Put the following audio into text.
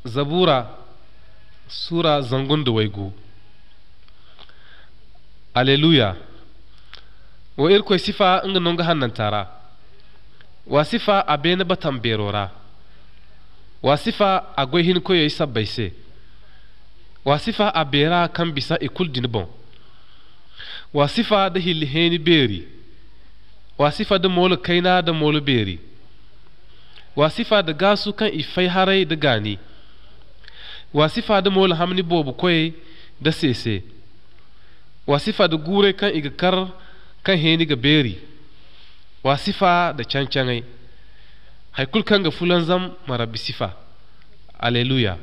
Zabura Sura 150. Alleluya. Wa Irkoy sifa nga nonga hannantara. Wa sifa a bene batan berora. Wa sifa a goy hin koyo sabbay se. Wa sifa a bera kan bisa ikul din bon. Wa sifa da hilli heni beri. Wa sifa da molo kaina da molo beri. Wa sifa da gasu kan ifai harai da gani. Wa sifa da molo hamni bobu koy da sese. Wa sifa da gure kan iga kar kan heni ga beri. Wa sifa da cancangai. Haikul kan ga fulan zam marabi sifa. Alleluya.